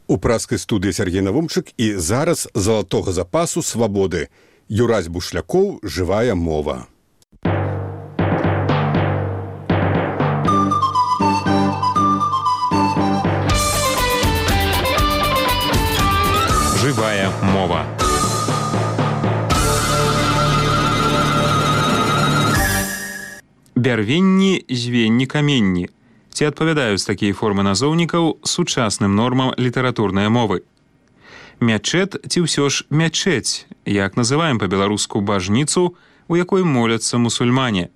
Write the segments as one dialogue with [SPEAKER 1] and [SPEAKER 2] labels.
[SPEAKER 1] У праскай студыі Сергей Навумчык і зараз залатога запасу свабоды. Юрась Бушлякоў, жывая мова.
[SPEAKER 2] Жывая мова. Бярвенні, звенні, каменні. Ці адпавядаюць такія формы назоўнікаў сучасным нормам літаратурнай мовы? Мячэт ці ўсё ж мячэць, як называем па-беларуску бажніцу, у якой моляцца мусульмане?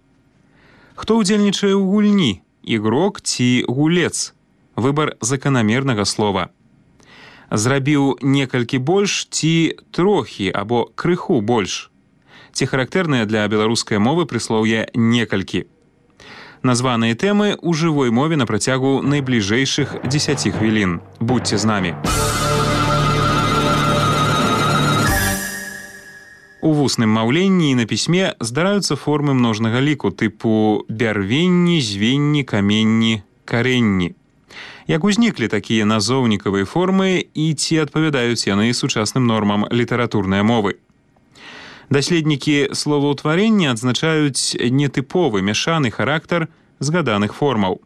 [SPEAKER 2] Хто ўдзельнічае ў гульні, ігрок ці гулец? Выбар заканамернага слова. Зрабіў некалькі больш ці трохі або крыху больш? Ці характэрныя для беларускай мовы прыслоўе некалькі? Названыя тэмы ў жывой мове на працягу найбліжэйшых 10 хвілін. Будьце з намі. У вусным маўленні і на пісьме здараюцца формы множнага ліку тыпу бярвенні, звенні, каменні, карэнні. Як узніклі такія назоўнікавыя формы і ці адпавядаюць яны сучасным нормам літаратурнай мовы? Даследнікі словаўтварення адзначаюць нетыповы мяшаны характар згаданых формаў.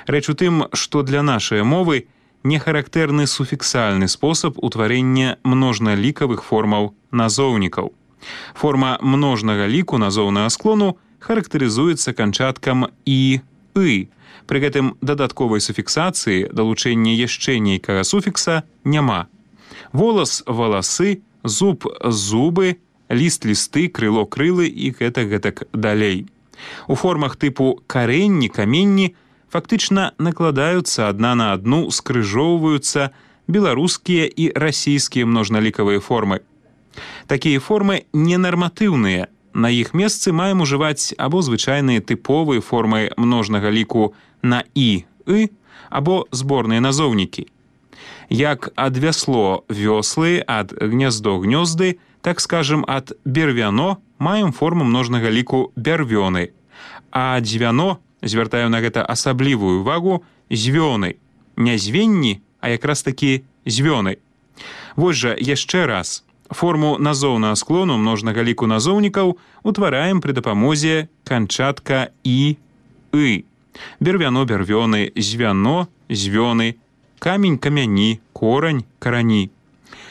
[SPEAKER 2] Рэч у тым, што для нашай мовы не характэрны суфіксальны спосаб утварення множналікавых формаў назоўнікаў. Форма множнага ліку назоўнага склону характарызуецца канчаткам «і», «ы». Пры гэтым дадатковай суфіксацыі далучэння яшчэ нейкага суфікса няма. Волас – валасы, зуб – зубы, ліст – лісты, крыло – крылы і гэтак далей. У формах тыпу карэнні, каменні фактычна накладаюцца адна на адну, скрыжоўваюцца беларускія і расійскія множналікавыя формы. Такія формы ненарматыўныя. На іх месцы маем ужываць або звычайныя тыповыя формы множнага ліку на «і», «ы», або зборныя назоўнікі. Як ад вясло – вёслы, ад гняздо – гнёзды, так скажем, ад бервяно маем форму множнага ліку бярвёны, а дзвяно, звяртаю на гэта асаблівую увагу, звёны. Не звенні, а якраз такі звёны. Вось жа яшчэ раз. Форму назоўнага склону множнага ліку назоўнікаў утвараем пры дапамозе канчатка «і», «ы». Бервяно – бярвёны, звяно – звёны, камень – камяні, корань – карані.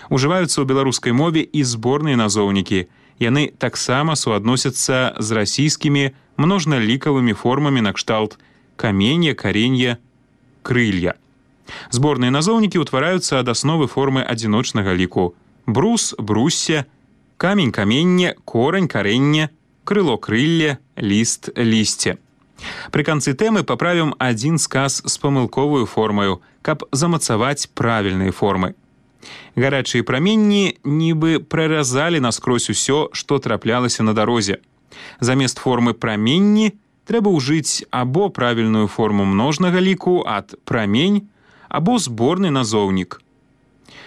[SPEAKER 2] Ужываюцца ў беларускай мове і зборныя назоўнікі. Яны таксама суадносяцца з расійскімі множналікавымі формамі накшталт каменья, каренья, крылья. Зборныя назоўнікі ўтвараюцца ад асновы формы адзіночнага ліку. Брус, брусся, камень, каменне, корань, карэнне, крыло, крылле, ліст, лісце. Пры канцы тэмы паправім адзін сказ з памылковую формаю, каб замацаваць правільныя формы. Гарачыя праменні нібы праразалі наскрозь усё, што траплялася на дарозе. Замест формы праменні трэба ўжыць або правільную форму множнага ліку ад прамень, або зборны назоўнік.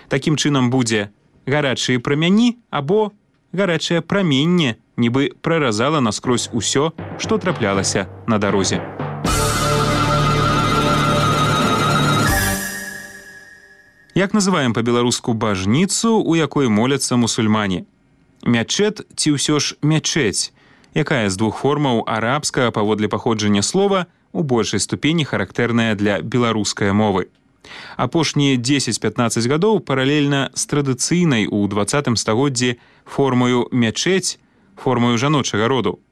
[SPEAKER 2] Такім чынам будзе гарачыя прамяні або гарачае праменне, нібы праразала наскрозь усё, што траплялася на дарозе. Як называем па-беларуску бажніцу, у якой моляцца мусульмане? Мячэт ці ўсё ж мячэць? Якая з двух формаў арабскага паводле паходжання слова у большай ступені характэрная для беларускай мовы? Апошнія 10-15 гадоў паралельна з традыцыйнай у 20 стагоддзі формаю мячэць, формаю жаночага роду.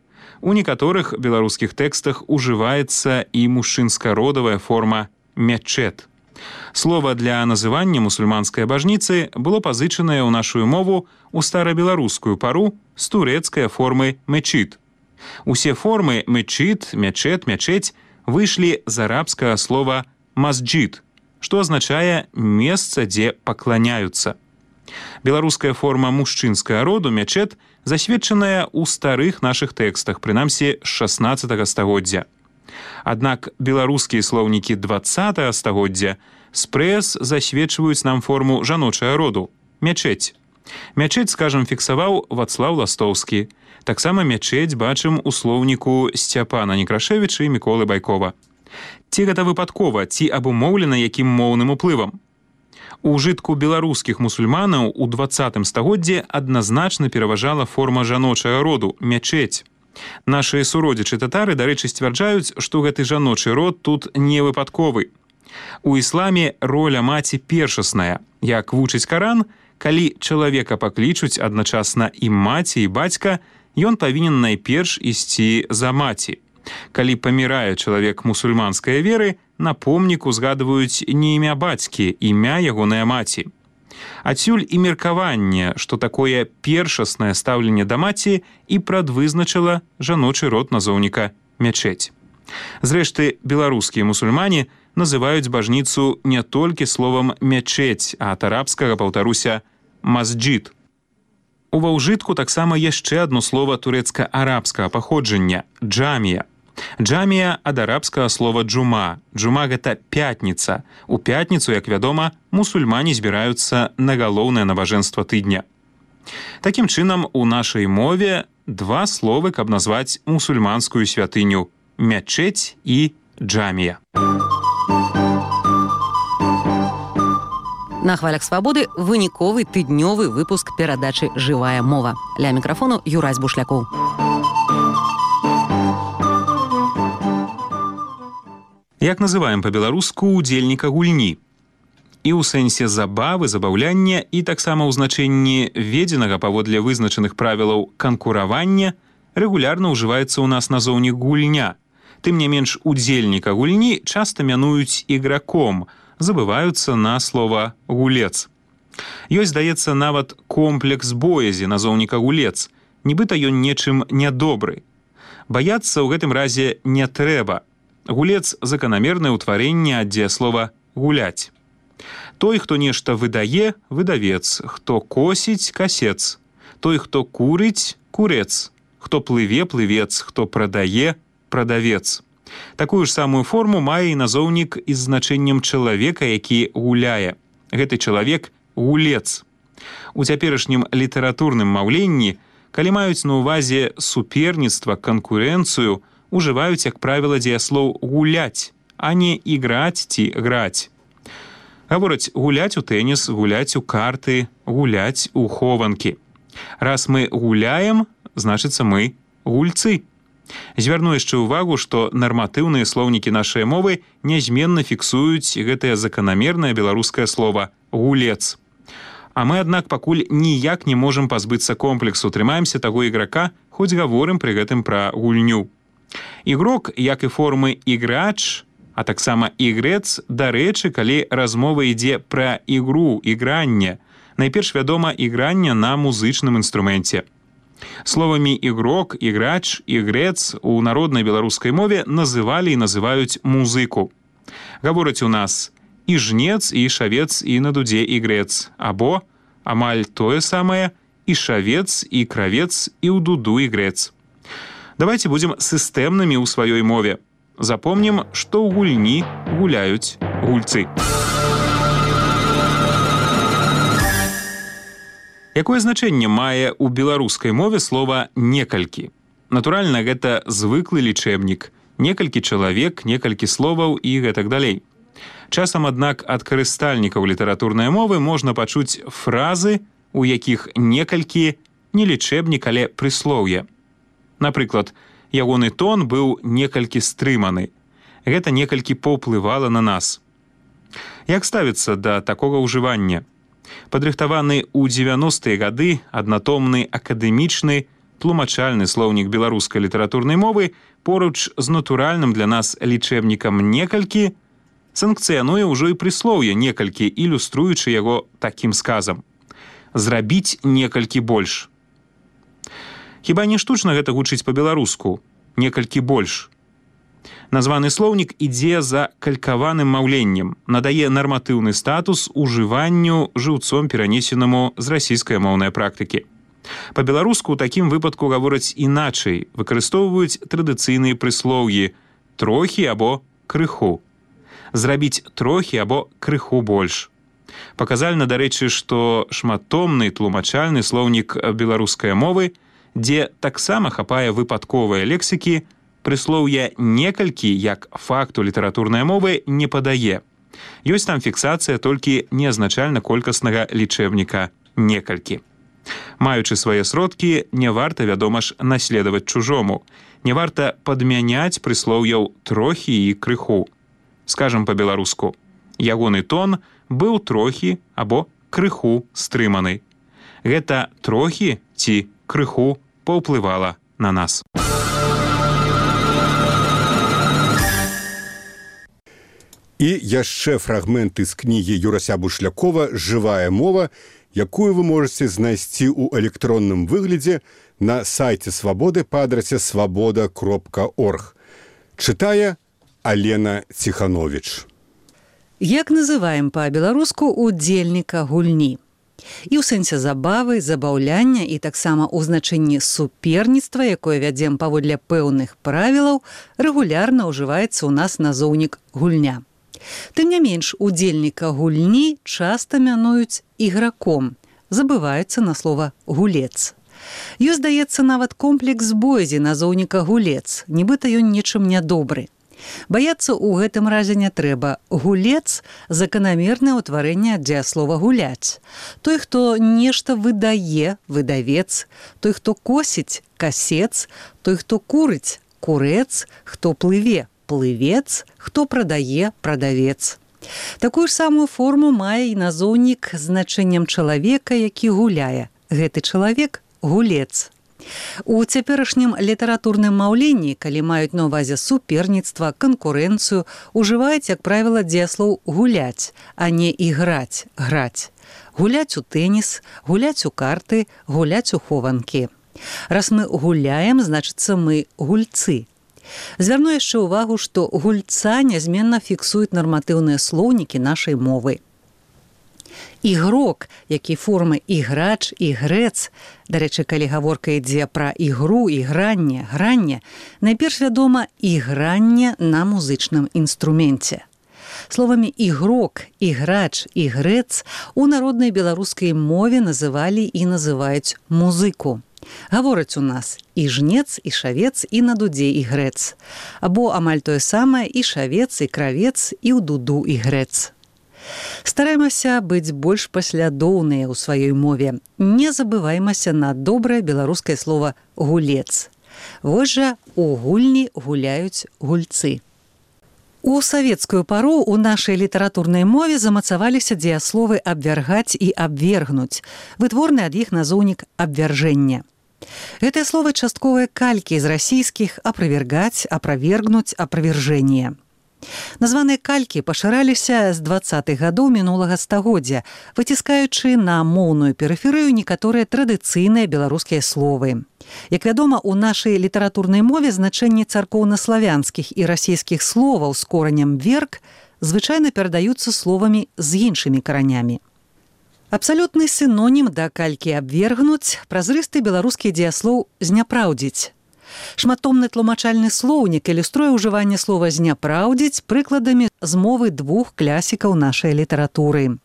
[SPEAKER 2] У некаторых беларускіх тэкстах ужываецца і мужчынска-родавая форма мячэт. Слова для называння мусульманскай бажніцы было пазычанае ў нашу мову ў старабеларускую пару з турэцкай формы мечит. Усе формы мечит, мячэт, мячэць выйшлі з арабскага слова масджид, што азначае месца, дзе пакланяюцца. Беларуская форма мужчынскага роду мячэт засведчаная ў старых нашых тэкстах, прынамсі з 16 стагоддзя. Аднак беларускія слоўнікі 20 стагоддзя спрэс засведчваюць нам форму жаночага роду – мячэць. Мячэць, скажам, фіксаваў Вацлаў Ластоўскі. Таксама мячэць бачым у слоўніку Сцяпана Некрашевіча і Міколы Байкова. Ці гэта выпадкова, ці абумоўлена якім моўным уплывам? У ўжытку беларускіх мусульманаў у 20 стагоддзі адназначна пераважала форма жаночага роду – мячэць. Нашыя суродзічы татары, дарэчы, сцвярджаюць, што гэты жаночы род тут не выпадковы. У ісламе роля маці першасная. Як вучыць Каран, калі чалавека паклічуць адначасна і маці, і бацька, ён павінен найперш ісці за маці. Калі памірае чалавек мусульманскай веры, на помніку згадваюць не імя бацькі, імя ягонай маці. Адсюль і меркаванне, што такое першаснае стаўленне да маці і прадвызначыла жаночы род назоўніка мячэць. Зрэшты, беларускія мусульмане называюць бажніцу не толькі словам мячэць, а ад арабскага, паўтаруся, масджид. Ува ўжытку таксама яшчэ адно слова турэцка-арабскага паходжання – джамія. Джамія ад арабскага слова джума. Джума – гэта пятніца. У пятніцу, як вядома, мусульмане збіраюцца на галоўнае набажэнства тыдня. Такім чынам, у нашай мове два словы, каб назваць мусульманскую святыню – мячэць і джамія.
[SPEAKER 3] На хвалях свабоды выніковы тыднёвы выпуск перадачы «Жывая мова». Ля мікрафону Юрась Бушлякоў.
[SPEAKER 2] Як называем па-беларуску удзельніка гульні? І ў сэнсе забавы, забаўляння, і таксама ў значэнні ведзенага паводле вызначаных правілаў канкуравання рэгулярна ўжываецца ў нас назоўнік гульня. Тым не менш, удзельніка гульні часта мянуюць іграком, забываюцца на слова гулец. Ёсць, здаецца, нават комплекс боязі назоўніка гулец, нібыта ён нечым нядобры. Баяцца ў гэтым разе не трэба. Гулец – заканамернае ўтварэнне ад дзеяслова «гуляць». Той, хто нешта выдае – выдавец, хто косіць – касец, той, хто курыць – курец, хто плыве – плывец, хто прадае – прадавец. Такую ж самую форму мае і назоўнік з значэннем чалавека, які гуляе. Гэты чалавек – гулец. У цяперашнім літаратурным маўленні, калі маюць на ўвазе суперніцтва, канкурэнцыю, ужываюць, як правіла, дзеяслоў «гуляць», а не «іграць» ці «граць». Гавораць гуляць у тэніс, гуляць у карты, гуляць у хованкі. Раз мы гуляем, значыцца мы гульцы. Звярну яшчэ ўвагу, што нарматыўныя слоўнікі нашай мовы нязменна фіксуюць гэтае заканамернае беларускае слова «гулец». А мы, аднак, пакуль ніяк не можам пазбыцца комплексу, трымаемся таго іграка, хоць гаворым пры гэтым пра гульню. Ігрок, як і формы іграч, а таксама ігрэц, дарэчы, калі размова ідзе пра ігру, ігранне, найперш вядома ігранне на музычным інструменце. Словамі ігрок, іграч, ігрэц у народнай беларускай мове называлі і называюць музыку. Гавораць у нас і жнец, і шавец, і на дудзе ігрэц, або амаль тое самае і шавец, і кравец, і ў дуду ігрэц. Давайте будем сістэмнымі ў сваёй мове. Запомнім, што ў гульні гуляюць гульцы. Якое значэнне мае ў беларускай мове слова «некалькі»? Натуральна, гэта звыклы лічэбнік. Некалькі чалавек, некалькі словаў і гэтак далей. Часам, аднак, ад карыстальнікаў літаратурнай мовы можна пачуць фразы, у якіх некалькі не лічэбнік, але прыслоўе. Напрыклад, ягоны тон быў некалькі стрыманы. Гэта некалькі паўплывала на нас. Як ставіцца да такога ўжывання? Падрыхтаваны ў 90-е гады аднатомны акадэмічны тлумачальны слоўнік беларускай літаратурнай мовы поруч з натуральным для нас лічэбнікам некалькі санкцыянуе ўжо і прыслоўе некалькі, ілюструючы яго такім сказам. Зрабіць некалькі больш. Хіба не штучна гэта гучыць па-беларуску? Некалькі больш. Названы слоўнік ідзе за калькаваным маўленнем, надае нарматыўны статус ужыванню жыўцом перанесенаму з расійскай моўнай практыкі. Па-беларуску ў такім выпадку гавораць іначай, выкарыстоўваюць традыцыйныя прыслоўі «трохі» або «крыху». Зрабіць трохі або крыху больш. Паказальна, дарэчы, што шматтомны тлумачальны слоўнік беларускай мовы, дзе таксама хапае выпадковыя лексікі, прыслоўя «некалькі» як факту літаратурнай мовы не падае. Ёсць там фіксацыя толькі неазначальна колькаснага лічэбніка некалькі. Маючы свае сродкі, не варта, вядома ж, наследаваць чужому. Не варта падмяняць прыслоўяў трохі і крыху. Скажам па-беларуску, ягоны тон быў трохі або крыху стрыманы. Гэта трохі ці крыху паўплывала на нас.
[SPEAKER 1] І яшчэ фрагменты з кнігі Юрася Бушлякова «Жывая мова», якую вы можете знайсці ў электронным выглядзе на сайце Свабоды па адрасе свабода.орг. Чытае Алена Ціхановіч.
[SPEAKER 4] Як называем па-беларуску удзельніка гульні? І ў сэнсе забавы, забаўляння і таксама ў значэнні суперніцтва, якое вядзем паводле пэўных правілаў, рэгулярна ўжываецца ў нас назоўнік гульня. Тым не менш, удзельніка гульні часта мянуюць іграком, забываюцца на слова «гулец». Ёсць, здаецца, нават комплекс бойзі назоўніка «гулец», нібыта ён нечым нядобры. Баяцца ў гэтым разе не трэба. Гулец – заканамернае ўтварэнне ад дзеяслова «гуляць». Той, хто нешта выдае – выдавец, той, хто косіць – касец, той, хто курыць – курэц, хто плыве – плывец, хто прадае – прадавец. Такую ж самую форму мае і назоўнік з значэннем чалавека, які гуляе. Гэты чалавек – гулец. У цяперашнім літаратурным маўленні, калі маюць на ўвазе суперніцтва, канкурэнцыю, ужываюць, як правіла, дзеяслоў «гуляць», а не «іграць», «граць». Гуляць у тэніс, гуляць у карты, гуляць у хованкі. Раз мы гуляем, значыцца мы гульцы. Звярну яшчэ ўвагу, што гульца нязменна фіксуюць нарматыўныя слоўнікі нашай мовы. Ігрок, які формы іграч, ігрэц, дарэчы, калі гаворка ідзе пра ігру, ігранне, гранне, найперш вядома ігранне на музычным інструменце. Словамі ігрок, іграч, ігрэц у народнай беларускай мове называлі і называюць музыку. Гавораць у нас і жнец, і шавец, і на дудзе ігрэц. Або амаль тое самае і шавец, і кравец, і ў дуду ігрэц. Стараемся быць больш паслядоўныя ў сваёй мове. Не забываймася на добрае беларускае слова «гулец». Вось жа у гульні гуляюць гульцы. У савецкую пару ў нашай літаратурнай мове замацаваліся дзеясловы «абвяргаць» і «абвергнуць», вытворны ад іх назоўнік «абвяржэння». Гэтыя словы частковыя калькі з расійскіх «аправергаць», «аправергнуць», «аправержэнне». Названыя калькі пашыраліся з 20-х гадоў мінулага стагоддзя, выціскаючы на моўную перыферыю некаторыя традыцыйныя беларускія словы. Як вядома, у нашай літаратурнай мове значэнні царкоўнаславянскіх і расійскіх словаў з коранем «верг» звычайна перадаюцца словамі з іншымі каранямі. Абсалютны сінонім да калькі «абвергнуць» – празрысты беларускі дзеяслоў «зняпраўдзіць». Шматтомны тлумачальны слоўнік ілюструе ўжыванне слова «зняпраўдзіць» прыкладамі з мовы двух класікаў нашай літаратуры.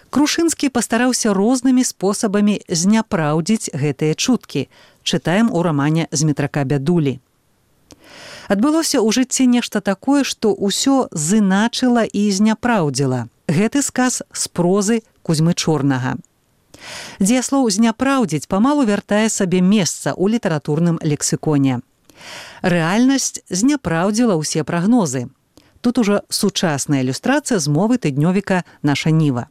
[SPEAKER 4] Крушынскі пастараўся рознымі спосабамі зняпраўдзіць гэтыя чуткі. Чытаем у рамане «Зметрака бядулі». Адбылося ў жыцці нешта такое, што ўсё зыначыла і зняпраўдзіла. Гэты сказ з прозы Кузьмы Чорнага. Дзеяслоў «зняпраўдзіць» памалу вяртае сабе месца ў літаратурным лексіконе. Рэальнасць зняпраўдзіла ўсе прагнозы. Тут ужо сучасная ілюстрацыя з мовы тыднёвіка «Наша ніва».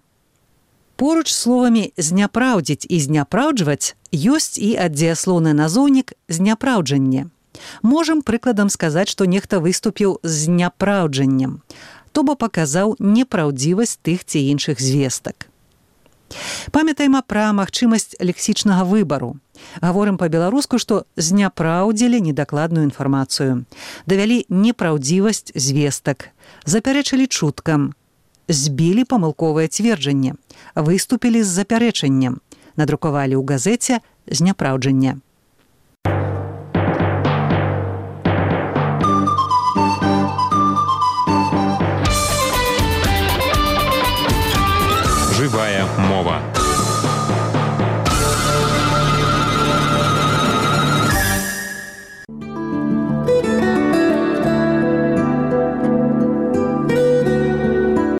[SPEAKER 4] Поруч з словамі «зняпраўдзіць» і «зняпраўджваць» ёсць і аддзеяслоўны назоўнік «зняпраўджанне». Можам прыкладам сказаць, што нехта выступіў з зняпраўджаннем, то бо паказаў непраўдзівасць тых ці іншых звестак. Памятаем пра магчымасць лексічнага выбару. Гаворым па-беларуску, што зняпраўдзілі недакладную інфармацыю, давялі непраўдзівасць звестак, запярэчылі чуткам, збілі памылковае цверджанне, выступілі з запярэчаннем, надрукавалі ў газеце зняпраўджанне.
[SPEAKER 2] Жывая мова.